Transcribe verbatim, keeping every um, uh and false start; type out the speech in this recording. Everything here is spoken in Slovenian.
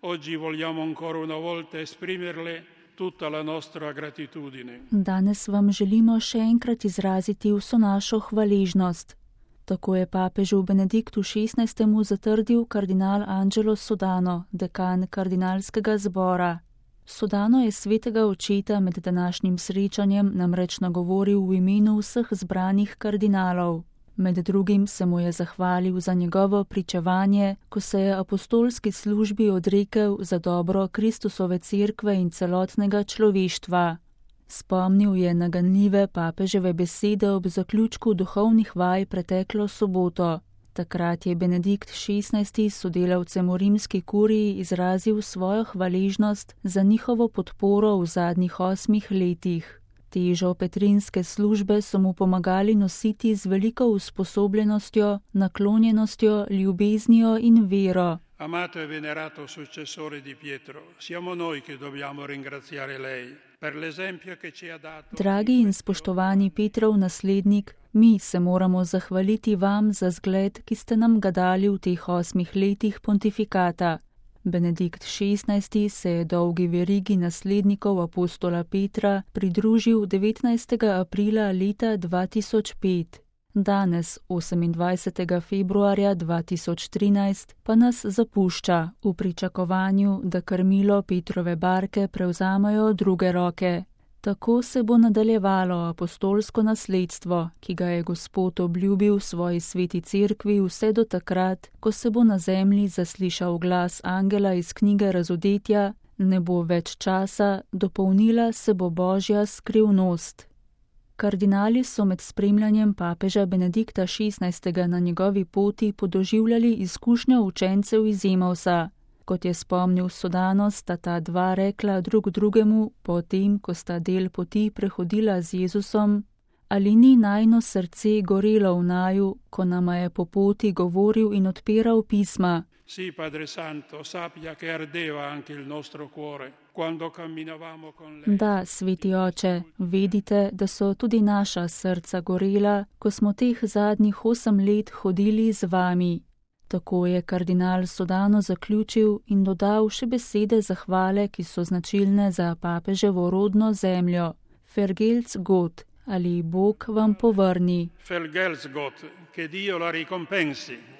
Oggi vogliamo ancora una volta esprimerle tutta la nostra gratitudine. Danes vam želimo še enkrat izraziti vso našo hvaležnost. Tako je papežu Benediktu šestnajstemu zatrdil kardinal Angelo Sodano, dekan kardinalskega zbora. Sodano je svetega očeta med današnjim srečanjem namreč nagovoril v imenu vseh zbranih kardinalov. Med drugim se mu je zahvalil za njegovo pričevanje, ko se je apostolski službi odrekel za dobro Kristusove cerkve in celotnega človeštva. Spomnil je na ganljive papeževe besede ob zaključku duhovnih vaj preteklo soboto. Takrat je Benedikt šestnajsti sodelavcem v rimski kuriji izrazil svojo hvaležnost za njihovo podporo v zadnjih osmih letih. Težo petrinske službe so mu pomagali nositi z veliko usposobljenostjo, naklonjenostjo, ljubeznijo in vero. Amato e venerato successore di Pietro, siamo noi che dobbiamo ringraziare lei per l'esempio che ci ha dato. Dragi in spoštovani Petrov naslednik, mi se moramo zahvaliti vam za zgled, ki ste nam ga dali v teh osmih letih pontifikata. Benedikt šestnajsti se je dolgi verigi naslednikov apostola Petra pridružil devetnajstega aprila leta dva tisoč pet. Danes, osemindvajsetega februarja dva tisoč trinajst, pa nas zapušča v pričakovanju, da krmilo Petrove barke prevzamejo druge roke. Tako se bo nadaljevalo apostolsko nasledstvo, ki ga je Gospod obljubil svoji sveti cerkvi vse do takrat, ko se bo na zemlji zaslišal glas angela iz knjige Razodetja, ne bo več časa, dopolnila se bo Božja skrivnost. Kardinali so med spremljanjem papeža Benedikta šestnajstega na njegovi poti podoživljali izkušnjo učencev iz Emausa. Kot je spomnil Sodano, sta ta dva rekla drug drugemu, potem, ko sta del poti prehodila z Jezusom, ali ni najino srce gorelo v naju, ko nama je po poti govoril in odpiral pisma. Sì, Padre Santo, sappia che ardeva anche il nostro cuore quando camminavamo con lei. Da, sveti oče, vedite, da so tudi naša srca gorela, ko smo teh zadnjih osem let hodili z vami. Tako je kardinal Sodano zaključil in dodal še besede zahvale, ki so značilne za papeževo rodno zemljo. Vergelt's Gott, ali Bog vam povrni. Vergelt's Gott, che Dio la ricompensi.